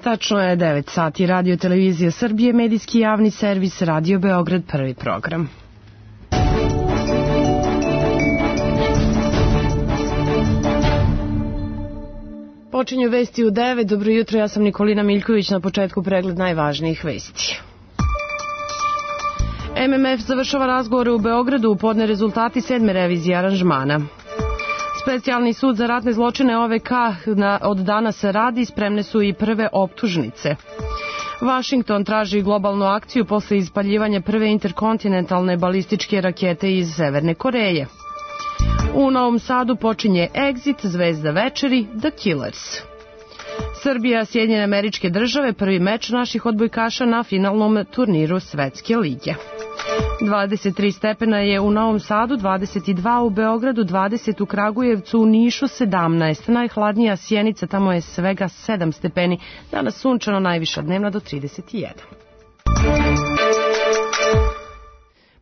Tačno je 9 sati. Radio Televizija Srbije, medijski javni servis, Radio Beograd, prvi program. Počinju vesti u 9. Dobro jutro, ja sam Nikolina Miljković, na početku pregled najvažnijih vesti. MMF završava razgovore u Beogradu, podne rezultati 7. revizije aranžmana. Specijalni sud za ratne zločine OVK od danas radi, spremne su i prve optužnice. Vašington traži globalnu akciju posle ispaljivanja prve interkontinentalne balističke rakete iz Severne Koreje. U Novom Sadu počinje Exit, zvezda večeri, The Killers. Srbija, Sjedinjene Američke Države, prvi meč naših odbojkaša na finalnom turniru Svetske lige. 23 stepena je u Novom Sadu, 22 u Beogradu, 20 u Kragujevcu, u Nišu 17. Najhladnija Sjenica, tamo je svega 7 stepeni. Danas sunčano, najviša dnevna do 31.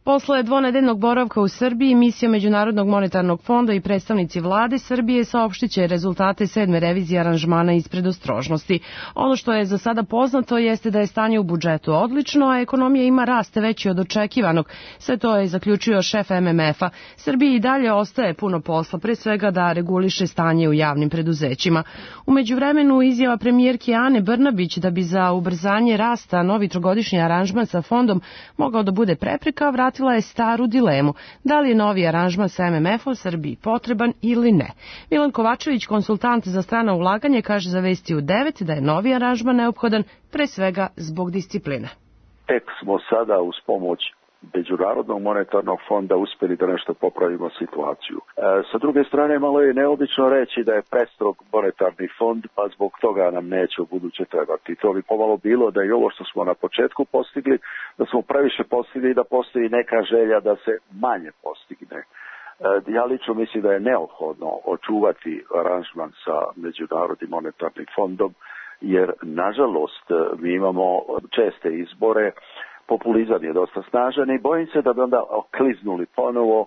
Posle dvonedeljnog boravka u Srbiji, misija Međunarodnog monetarnog fonda i predstavnici vlade Srbije saopštiće rezultate 7. revizije aranžmana iz predostrožnosti. Ono što je za sada poznato jeste da je stanje u budžetu odlično, a ekonomija ima rast veći od očekivanog. Sve to je zaključio šef MMF-a. Srbiji i dalje ostaje puno posla, pre svega da reguliše stanje u javnim preduzećima. U međuvremenu, izjava premijerke Ane Brnabić da bi za ubrzanje rasta novi trogodišnji aranžman sa fondom mogao da bude prepreka, vratila je staru dilemu. Da li je novi aranžman sa MMF-om Srbiji potreban ili ne? Milan Kovačević, konsultant za strana ulaganje, kaže za Vesti u 9 da je novi aranžman neophodan pre svega zbog discipline. Tek smo sada uz pomoć Međunarodnog monetarnog fonda uspjeli da nešto popravimo situaciju. Sa druge strane, malo je neobično reći da je prestrog monetarni fond, pa zbog toga nam neće u buduće trebati. To bi pomalo bilo da i ovo što smo na početku postigli, da smo previše postigli i da postoji neka želja da se manje postigne. Ja lično mislim da je neophodno očuvati aranžman sa Međunarodnim monetarnim fondom, jer nažalost mi imamo česte izbore, populizam je dosta snažan i bojim se da bi onda okliznuli ponovo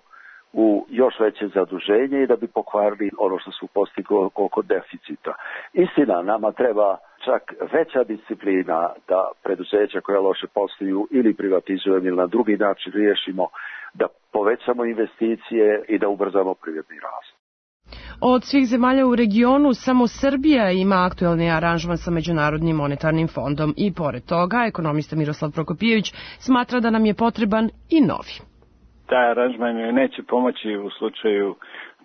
u još veće zaduženje i da bi pokvarili ono što su postigli oko deficita. Istina, nama treba čak veća disciplina da preduzeća koja loše posluju ili privatizujemo ili na drugi način riješimo, da povećamo investicije i da ubrzamo privredni rast. Od svih zemalja u regionu, samo Srbija ima aktuelni aranžman sa Međunarodnim monetarnim fondom i pored toga, ekonomista Miroslav Prokopijević smatra da nam je potreban i novi. Taj aranžman neće pomoći u slučaju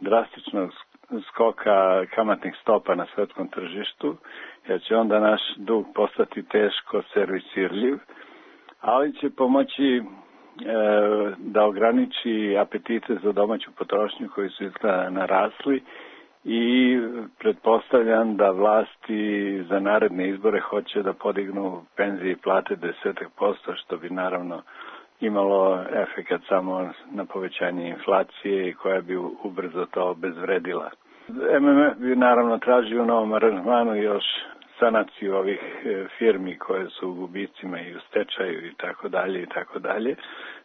drastičnog skoka kamatnih stopa na svetskom tržištu, jer će onda naš dug postati teško servisirljiv, ali će pomoći da ograniči apetite za domaću potrošnju koji su izgleda narasli i pretpostavljam da vlasti za naredne izbore hoće da podignu penzije i plate 10%, što bi naravno imalo efekat samo na povećanje inflacije i koja bi ubrzo to obezvredila. MMF bi naravno tražio u novom aranžmanu još sanaciju ovih firmi koje su u gubicima i u stečaju i tako dalje i tako dalje.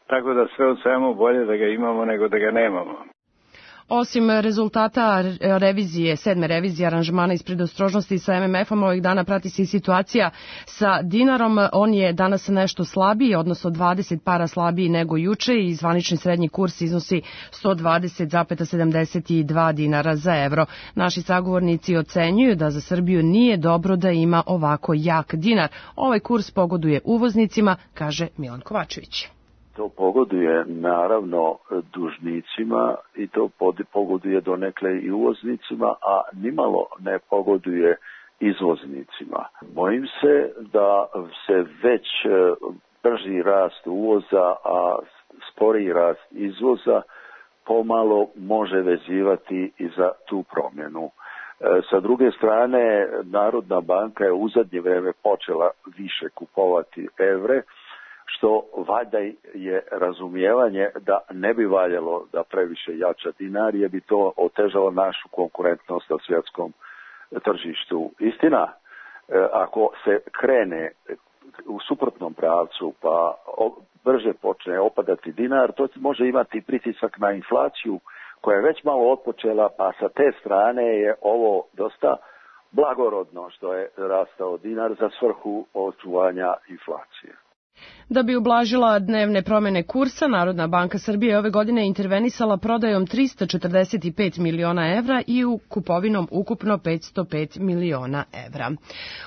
Tako da sve u svemu bolje da ga imamo nego da ga nemamo. Osim rezultata revizije, 7. revizije aranžmana iz predostrožnosti sa MMF-om, ovih dana prati se i situacija sa dinarom. On je danas nešto slabiji, odnosno 20 para slabiji nego juče i zvanični srednji kurs iznosi 120,72 dinara za evro. Naši sagovornici ocenjuju da za Srbiju nije dobro da ima ovako jak dinar. Ovaj kurs pogoduje uvoznicima, kaže Milan Kovačević. To pogoduje naravno dužnicima i to pogoduje donekle i uvoznicima, a nimalo ne pogoduje izvoznicima. Bojim se da se već brži rast uvoza, a sporiji rast izvoza pomalo može vezivati i za tu promjenu. Sa druge strane, Narodna banka je u zadnje vreme počela više kupovati evre, što valjda je razumijevanje da ne bi valjalo da previše jača dinar, jer bi to otežalo našu konkurentnost na svjetskom tržištu. Istina, ako se krene u suprotnom pravcu pa brže počne opadati dinar, to može imati pritisak na inflaciju koja je već malo otpočela, pa sa te strane je ovo dosta blag blagorodno što je rastao dinar za svrhu očuvanja inflacije. Da bi ublažila dnevne promene kursa, Narodna banka Srbije ove godine intervenisala prodajom 345 miliona evra i u kupovinom ukupno 505 miliona evra.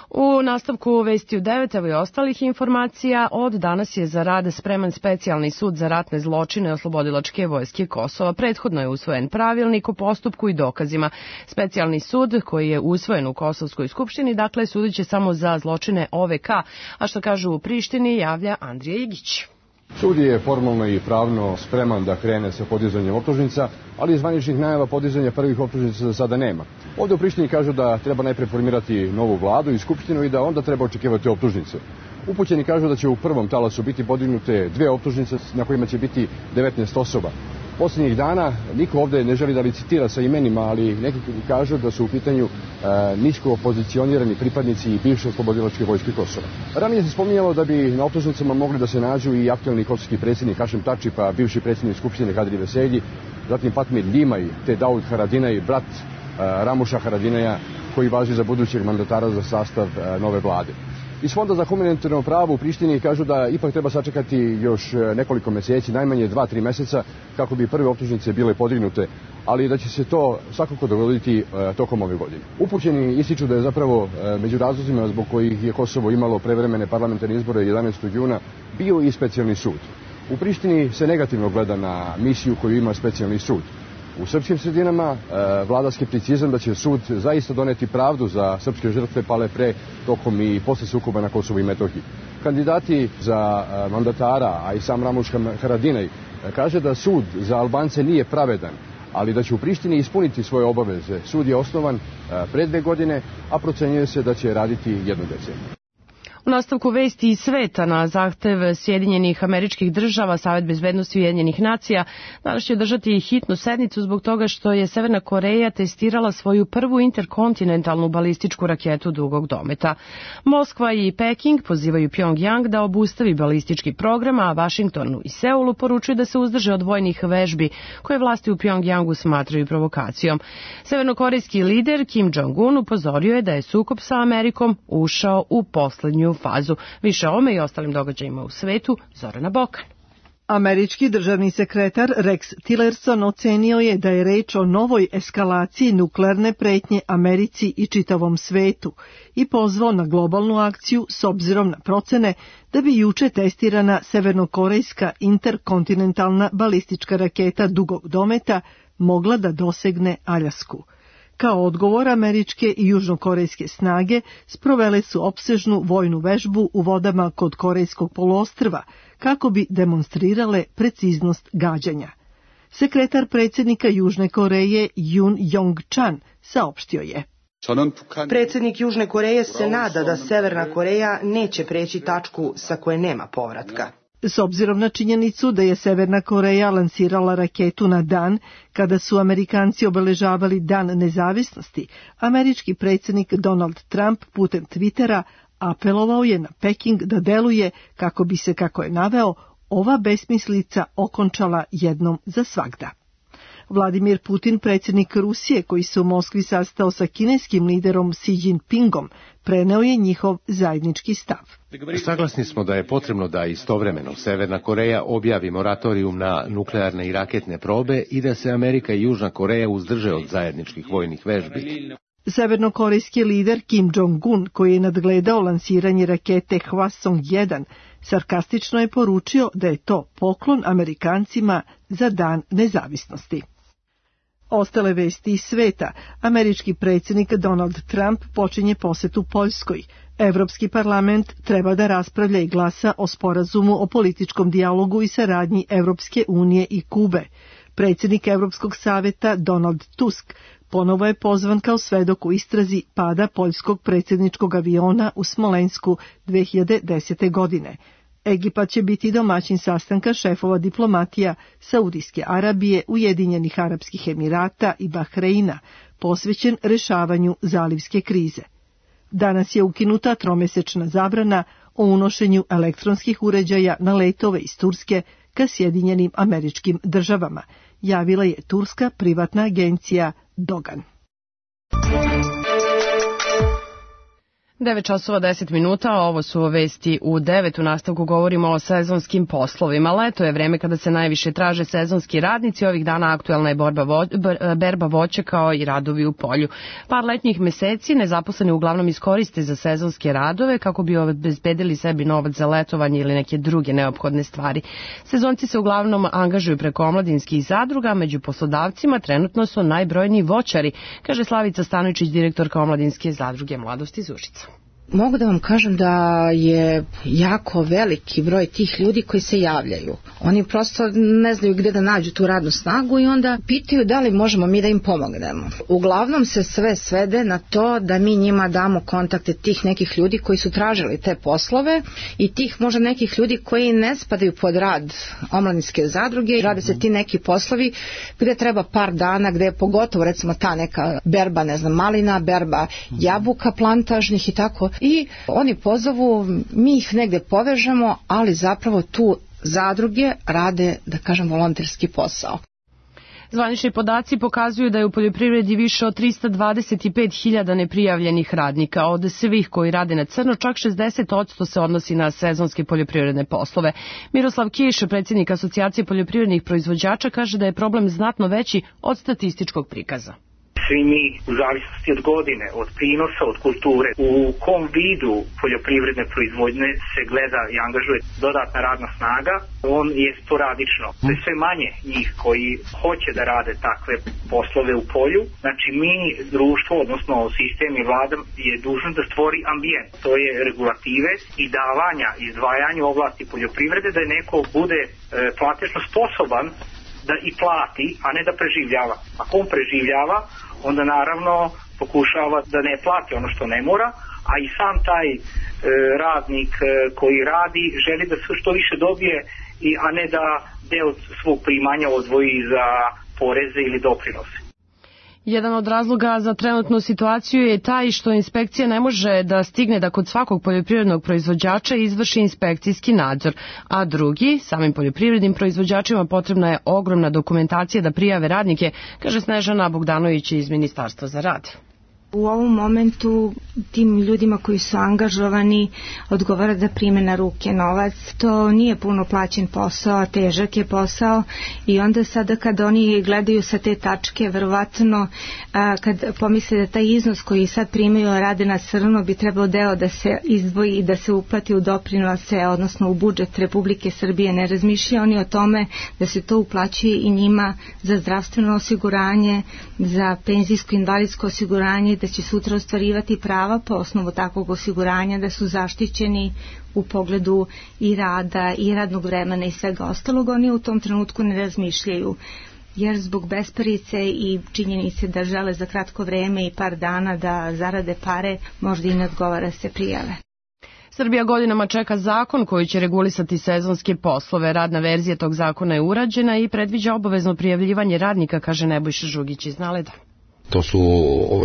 U nastavku vesti u 9 evo i ostalih informacija, od danas je za rad spreman specijalni sud za ratne zločine Oslobodilačke vojske Kosova. Prethodno je usvojen pravilnik o postupku i dokazima. Specijalni sud koji je usvojen u Kosovskoj skupštini, dakle, sudit će samo za zločine OVK, a što kažu u Prištini javlja Andrija Igić. Sud je formalno i pravno spreman da krene sa podizanjem optužnica, ali zvaničnih najava podizanja prvih optužnica za sada nema. Ovdje u Prištini kažu da treba najpre formirati novu vladu i skupštinu i da onda treba očekivati optužnice. Upućeni kažu da će u prvom talasu biti podignute 2 optužnice na kojima će biti 19 osoba. Posljednjih dana niko ovdje ne želi da licitira sa imenima, ali neki kažu da su u pitanju nisko pozicionirani pripadnici bivše Oslobodilačke vojske Kosova. Ranije se spominjalo da bi na optužnicama mogli da se nađu i aktualni kosovski predsjednik Hašim Tači, pa bivši predsjednik Skupštine Kadri Veselji, zatim Fatmir Ljimaj, te Daud Haradinaj, brat Ramuša Haradinaja, koji važi za budućeg mandatara za sastav nove vlade. Iz Fonda za humanitarno pravo u Prištini kažu da ipak treba sačekati još nekoliko mjeseci, najmanje 2-3 mjeseca, kako bi prve optužnice bile podignute, ali da će se to svakako dogoditi tokom ove godine. Upućeni ističu da je zapravo među razlozima zbog kojih je Kosovo imalo prevremene parlamentarne izbore 11. juna bio i specijalni sud. U Prištini se negativno gleda na misiju koju ima specijalni sud. U srpskim sredinama vlada skepticizam da će sud zaista doneti pravdu za srpske žrtve pale pre, tokom i posle sukoba na Kosovu i Metohiji. Kandidati za mandatara, a i sam Ramuš Haradinaj, kaže da sud za Albance nije pravedan, ali da će u Prištini ispuniti svoje obaveze. Sud je osnovan pre 2 godine, a procenjuje se da će raditi 1 deceniju. U nastavku vesti iz sveta, na zahtev Sjedinjenih Američkih Država, Savet bezbednosti Ujedinjenih nacija danas će održati hitnu sednicu zbog toga što je Severna Koreja testirala svoju prvu interkontinentalnu balističku raketu dugog dometa. Moskva i Peking pozivaju Pjongjang da obustavi balistički program, a Vašingtonu i Seulu poručuju da se uzdrže od vojnih vežbi koje vlasti u Pjongjangu smatraju provokacijom. Severnokorejski lider Kim Jong-un upozorio je da je sukob sa Amerikom ušao u poslednju fazu. Više o ome i ostalim događajima u svetu, Zorana Bokan. Američki državni sekretar Rex Tillerson ocenio je da je reč o novoj eskalaciji nuklearne pretnje Americi i čitavom svetu i pozvao na globalnu akciju s obzirom na procene da bi juče testirana severnokorejska interkontinentalna balistička raketa dugog dometa mogla da dosegne Aljasku. Kao odgovor, američke i južnokorejske snage sprovele su opsežnu vojnu vežbu u vodama kod Korejskog poluostrva kako bi demonstrirale preciznost gađanja. Sekretar predsjednika Južne Koreje Yoon Yong-chan saopštio je: Predsjednik Južne Koreje se nada da Severna Koreja neće preći tačku sa koje nema povratka. S obzirom na činjenicu da je Severna Koreja lansirala raketu na dan kada su Amerikanci obeležavali Dan nezavisnosti, američki predsjednik Donald Trump putem Twittera apelovao je na Peking da deluje kako bi se, kako je naveo, ova besmislica okončala jednom za svagda. Vladimir Putin, predsjednik Rusije, koji se u Moskvi sastao sa kineskim liderom Xi Jinpingom, preneo je njihov zajednički stav. Saglasni smo da je potrebno da istovremeno Severna Koreja objavi moratorijum na nuklearne i raketne probe i da se Amerika i Južna Koreja uzdrže od zajedničkih vojnih vežbi. Severnokorejski lider Kim Jong-un, koji je nadgledao lansiranje rakete Hwasong-1, sarkastično je poručio da je to poklon Amerikancima za Dan nezavisnosti. Ostale vesti iz sveta. Američki predsjednik Donald Trump počinje posetu Poljskoj. Evropski parlament treba da raspravlja i glasa o sporazumu o političkom dijalogu i saradnji Evropske unije i Kube. Predsjednik Evropskog saveta Donald Tusk ponovo je pozvan kao svedok u istrazi pada poljskog predsjedničkog aviona u Smolensku 2010. godine. Egipat će biti domaćin sastanka šefova diplomatija Saudijske Arabije, Ujedinjenih Arapskih Emirata i Bahreina, posvećen rešavanju zalivske krize. Danas je ukinuta tromesečna zabrana o unošenju elektronskih uređaja na letove iz Turske ka Sjedinjenim Američkim Državama, javila je turska privatna agencija Dogan. 9:10, ovo su vesti u 9. U nastavku govorimo o sezonskim poslovima. Leto je vreme kada se najviše traže sezonski radnici. Ovih dana aktuelna je berba voća kao i radovi u polju. Par letnjih meseci nezaposleni uglavnom iskoriste za sezonske radove kako bi obezbedili sebi novac za letovanje ili neke druge neophodne stvari. Sezonci se uglavnom angažuju preko omladinskih zadruga, među poslodavcima trenutno su najbrojniji voćari, kaže Slavica Stanovičić, direktorka omladinske zadruge Mladost iz Užica. Mogu da vam kažem da je jako veliki broj tih ljudi koji se javljaju. Oni prosto ne znaju gde da nađu tu radnu snagu i onda pitaju da li možemo mi da im pomognemo. Uglavnom se sve svede na to da mi njima damo kontakte tih nekih ljudi koji su tražili te poslove i tih možda nekih ljudi koji ne spadaju pod rad omladinske zadruge. Rade se ti neki poslovi gde treba par dana, gde je pogotovo recimo ta neka berba, malina, berba jabuka plantažnih i tako. I oni pozovu, mi ih negde povežemo, ali zapravo tu zadruge rade, da kažem, volonterski posao. Zvanični podaci pokazuju da je u poljoprivredi više od 325.000 neprijavljenih radnika. Od svih koji rade na crno, čak 60% se odnosi na sezonske poljoprivredne poslove. Miroslav Kiš, predsjednik Asocijacije poljoprivrednih proizvođača, kaže da je problem znatno veći od statističkog prikaza. Svi mi, u zavisnosti od godine, od prinosa, od kulture, u kom vidu poljoprivredne proizvodnje se gleda i angažuje dodatna radna snaga, on je sporadično. To je sve manje njih koji hoće da rade takve poslove u polju. Znači mi, društvo, odnosno sistem i vlada je dužan da stvori ambijent. To je regulative i davanja, izdvajanja u oblasti poljoprivrede da je neko bude platežno sposoban da i plati, a ne da preživljava. Ako on preživljava, onda naravno pokušava da ne plati ono što ne mora, a i sam taj radnik koji radi želi da što više dobije, a ne da deo svog primanja odvoji za poreze ili doprinose. Jedan od razloga za trenutnu situaciju je taj što inspekcija ne može da stigne da kod svakog poljoprivrednog proizvođača izvrši inspekcijski nadzor, a drugi, samim poljoprivrednim proizvođačima potrebna je ogromna dokumentacija da prijave radnike, kaže Snežana Bogdanović iz Ministarstva za rad. U ovom momentu tim ljudima koji su angažovani odgovara da prime na ruke novac. To nije puno plaćen posao, težak je posao i onda sada kad oni gledaju sa te tačke, verovatno kad pomisle da taj iznos koji sad primaju rade na crno bi trebao deo da se izdvoji i da se uplati u doprinose, odnosno u budžet Republike Srbije. Ne razmišljaju oni o tome da se to uplaćuje i njima za zdravstveno osiguranje, za penzijsko invalidsko osiguranje, da će sutra ostvarivati prava po osnovu takvog osiguranja, da su zaštićeni u pogledu i rada i radnog vremena i svega ostalog. Oni u tom trenutku ne razmišljaju, jer zbog besparice i činjenice da žele za kratko vreme i par dana da zarade pare, možda i ne odgovara se prijave. Srbija godinama čeka zakon koji će regulisati sezonske poslove. Radna verzija tog zakona je urađena i predviđa obavezno prijavljivanje radnika, kaže Nebojša Žugić iz Naleda. To su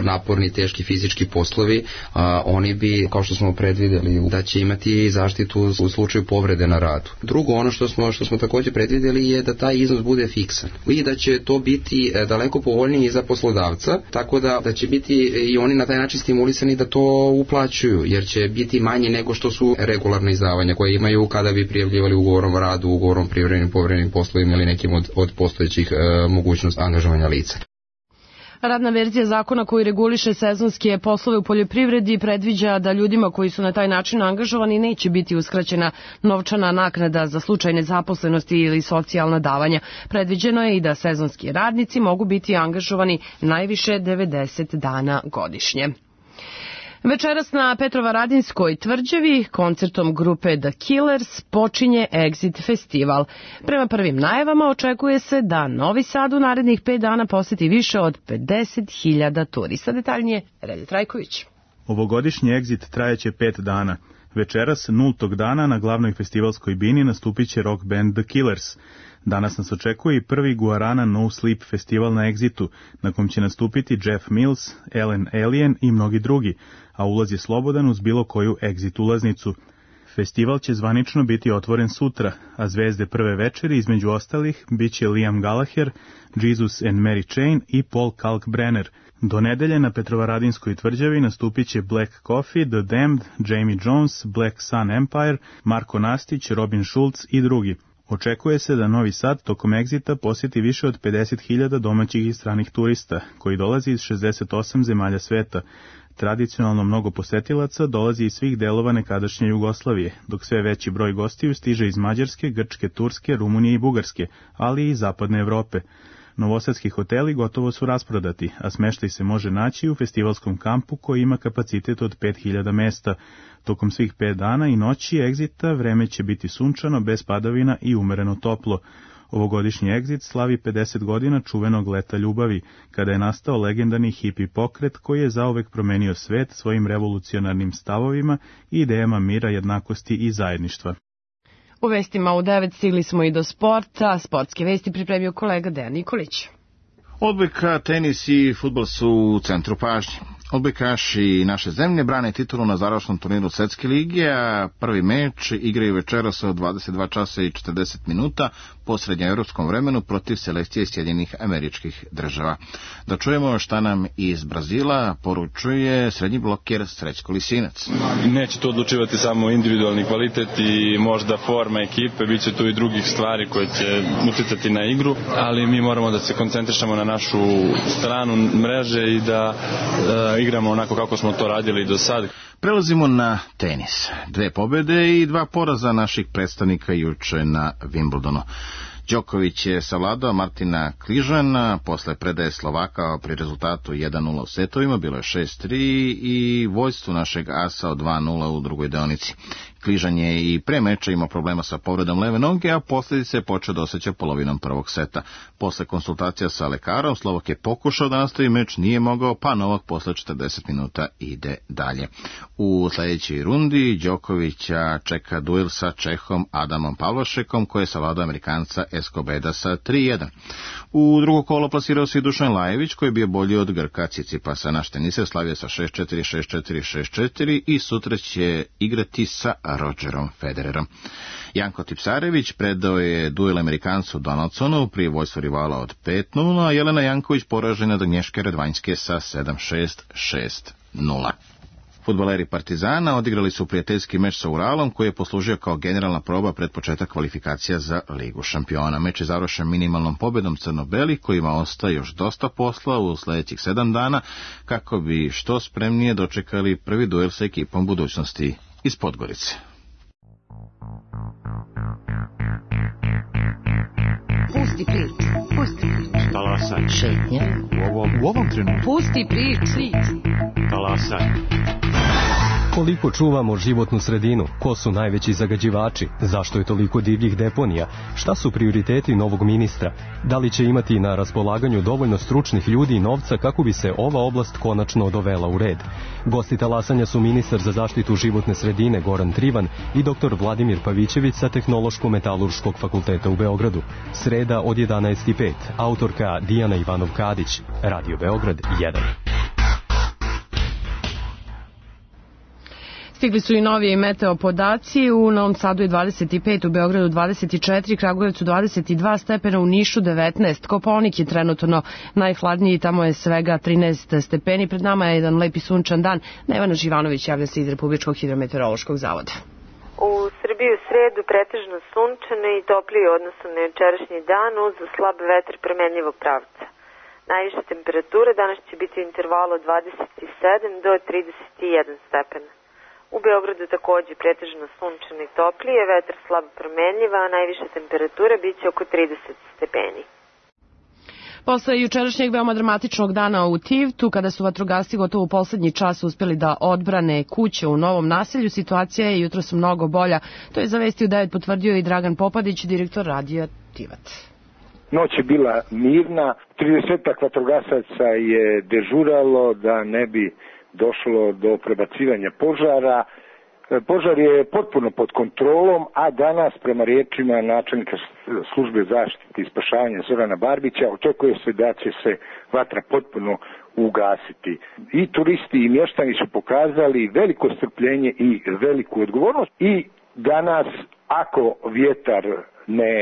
naporni, teški fizički poslovi, oni bi, kao što smo predvideli, da će imati zaštitu u slučaju povrede na radu. Drugo, ono što smo također predvideli je da taj iznos bude fiksan i da će to biti daleko povoljniji za poslodavca, tako da će biti i oni na taj način stimulisani da to uplaćuju, jer će biti manje nego što su regularne izdavanja koje imaju kada bi prijavljivali ugovorom o radu, ugovorom privremenim povremenim poslovima ili nekim od postojećih mogućnosti angažovanja lica. Radna verzija zakona koji reguliše sezonske poslove u poljoprivredi predviđa da ljudima koji su na taj način angažovani neće biti uskraćena novčana naknada za slučaj nezaposlenosti ili socijalna davanja. Predviđeno je i da sezonski radnici mogu biti angažovani najviše 90 dana godišnje. Večeras na Petrovaradinskoj tvrđavi koncertom grupe The Killers počinje Exit festival. Prema prvim najavama očekuje se da Novi Sad u narednih 5 dana poseti više od 50.000 turista. Detaljnije Relja Trajković. Ovogodišnji Exit trajeće 5 dana. Večeras, 0. dana, na glavnoj festivalskoj bini nastupit će rock band The Killers. Danas nas očekuje i prvi Guarana No Sleep festival na Exitu, na kom će nastupiti Jeff Mills, Ellen Alien i mnogi drugi, a ulaz je slobodan uz bilo koju Exit ulaznicu. Festival će zvanično biti otvoren sutra, a zvezde prve večeri, između ostalih, bit će Liam Gallagher, Jesus and Mary Chain i Paul Kalkbrenner. Do nedelje na Petrovaradinskoj tvrđavi nastupit će Black Coffee, The Damned, Jamie Jones, Black Sun Empire, Marko Nastić, Robin Schulz i drugi. Očekuje se da Novi Sad tokom Exita posjeti više od 50.000 domaćih i stranih turista, koji dolazi iz 68 zemalja sveta. Tradicionalno mnogo posetilaca dolazi iz svih delova nekadašnje Jugoslavije, dok sve veći broj gostiju stiže iz Mađarske, Grčke, Turske, Rumunije i Bugarske, ali i Zapadne Evrope. Novosadski hoteli gotovo su rasprodati, a smeštaj se može naći u festivalskom kampu koji ima kapacitet od 5.000 mesta. Tokom svih 5 dana i noći Exita vreme će biti sunčano, bez padavina i umereno toplo. Ovogodišnji Exit slavi 50 godina čuvenog leta ljubavi, kada je nastao legendarni hipi pokret koji je zauvek promenio svet svojim revolucionarnim stavovima i idejama mira, jednakosti i zajedništva. U vestima u 9 stigli smo i do sporta. Sportske vesti pripremio kolega Dejan Nikolić. Odbojka, tenis i fudbal su u centru pažnje. Odbojkaši naše zemlje brane titulu na završnom turniru Svetske lige, a prvi meč igraju večeras od 22 časa i 40 minuta po srednjoevropskom vremenu protiv selekcije Sjedinjenih Američkih Država. Da čujemo šta nam iz Brazila poručuje srednji bloker Srećko Lisinac. Neće to odlučivati samo individualni kvalitet i možda forma ekipe, bit će tu i drugih stvari koje će uticati na igru, ali mi moramo da se koncentrišemo na našu stranu mreže i da igramo onako kako smo to radili do sad. Prelazimo na tenis. 2 pobjede i 2 poraza naših predstavnika juče na Wimbledonu. Đoković je savladao Martina Kližana posle predaje Slovaka pri rezultatu 1-0 u setovima, bilo je 6-3 i vođstvu našeg asa od 2-0 u drugoj deonici. Kližan je i pre meča imao problema sa povredom leve noge, a posljedice je počeo da osjeća polovinom prvog seta. Posle konsultacija sa lekarom, Slovak je pokušao da nastavi meč, nije mogao, pa Novak posle 40 minuta ide dalje. U sljedećoj rundi Đokovića čeka duel sa Čehom Adamom Pavlošekom, koji je savladao Amerikanca Escobeda sa 3-1. U drugo kolo plasirao se i Dušan Lajević, koji je bio bolji od Grka Cicipasa. Naš teniser slavio sa 6-4, 6-4, 6-4 i sutra će igrati sa Rogerom Federerom. Janko Tipsarević predao je duel Amerikancu Donaldsonu pri vojstvu rivala od 5-0, a Jelena Janković poražena od Agnješke Radvanjske sa 7-6, 6-0. Fudbaleri Partizana odigrali su prijateljski meč sa Uralom, koji je poslužio kao generalna proba pred početak kvalifikacija za Ligu šampiona. Meč je završen minimalnom pobjedom crno-belih, kojima ostaje još dosta posla u sljedećih 7 dana, kako bi što spremnije dočekali prvi duel sa ekipom budućnosti iz Podgorice. Pusti prič, pusti prič. Talasaj. Šetnja. U ovom trenutku. Pusti prič. Talasaj. Koliko čuvamo životnu sredinu? Ko su najveći zagađivači? Zašto je toliko divljih deponija? Šta su prioriteti novog ministra? Da li će imati na raspolaganju dovoljno stručnih ljudi i novca kako bi se ova oblast konačno dovela u red? Gosti talasanja su ministar za zaštitu životne sredine Goran Trivan i dr. Vladimir Pavićević sa Tehnološko-metalurškog fakulteta u Beogradu. Sreda od 11:05. Autorka Dijana Ivanov-Kadić. Radio Beograd 1. Stigli su i novi meteo podaci. U Novom Sadu je 25, u Beogradu 24, Kragujevcu 22 stepena, u Nišu 19. Kopaonik je trenutno najhladniji, tamo je svega 13 stepeni. Pred nama je jedan lepi sunčan dan. Nevena Živanović javlja se iz Republičkog hidrometeorološkog zavoda. U Srbiji u sredu pretežno sunčano i toplije u odnosu na jučerašnji dan uz slab vetar promenljivog pravca. Najviša temperatura danas će biti u intervalu od 27 do 31 stepena. U Beogradu također pretežno sunčano i toplije, vetar slab promenljiva, a najviša temperatura biće oko 30 stepeni. Posle jučerašnjeg veoma dramatičnog dana u Tivtu, kada su vatrogasci gotovo u poslednji čas uspeli da odbrane kuće u novom naselju, situacija je jutros mnogo bolja. To je za Vesti u 9 potvrdio i Dragan Popadić, direktor radija Tivat. Noć je bila mirna, 30 vatrogasaca je dežuralo da ne bi došlo do prebacivanja požara. Požar je potpuno pod kontrolom, a danas, prema riječima načelnika službe zaštite i spašavanja Zorana Barbića, očekuje se da će se vatra potpuno ugasiti. I turisti i mještani su pokazali veliko strpljenje i veliku odgovornost. I danas, ako vjetar ne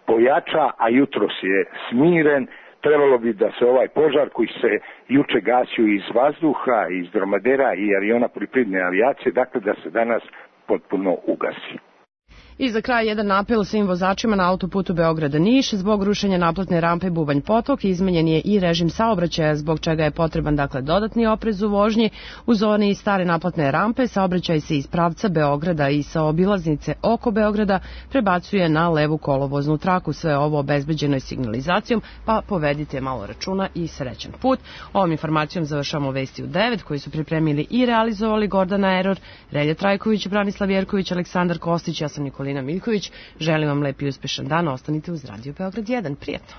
pojača, a jutros je smiren, trebalo bi da se ovaj požar koji se juče gasio iz vazduha, iz dromadera i aviona poljoprivredne avijacije, dakle da se danas potpuno ugasi. I za kraj jedan apel svim vozačima na autoputu Beograda-Niš. Zbog rušenja naplatne rampe Bubanj Potok izmenjen je i režim saobraćaja, zbog čega je potreban dodatni oprez u vožnji. U zoni stare naplatne rampe saobraćaj se iz pravca Beograda i sa obilaznice oko Beograda prebacuje na levu kolovoznu traku. Sve ovo obezbeđeno je signalizacijom, pa povedite malo računa i srećan put. Ovom informacijom završamo vesti u 9 koji su pripremili i realizovali Gordana Eror, Relja Trajković, Branislav Jerković, Aleksandar Kostić, ja sam Nikolina Miljković. Želim vam lep i uspešan dan, ostanite uz Radio Beograd 1. Prijetno!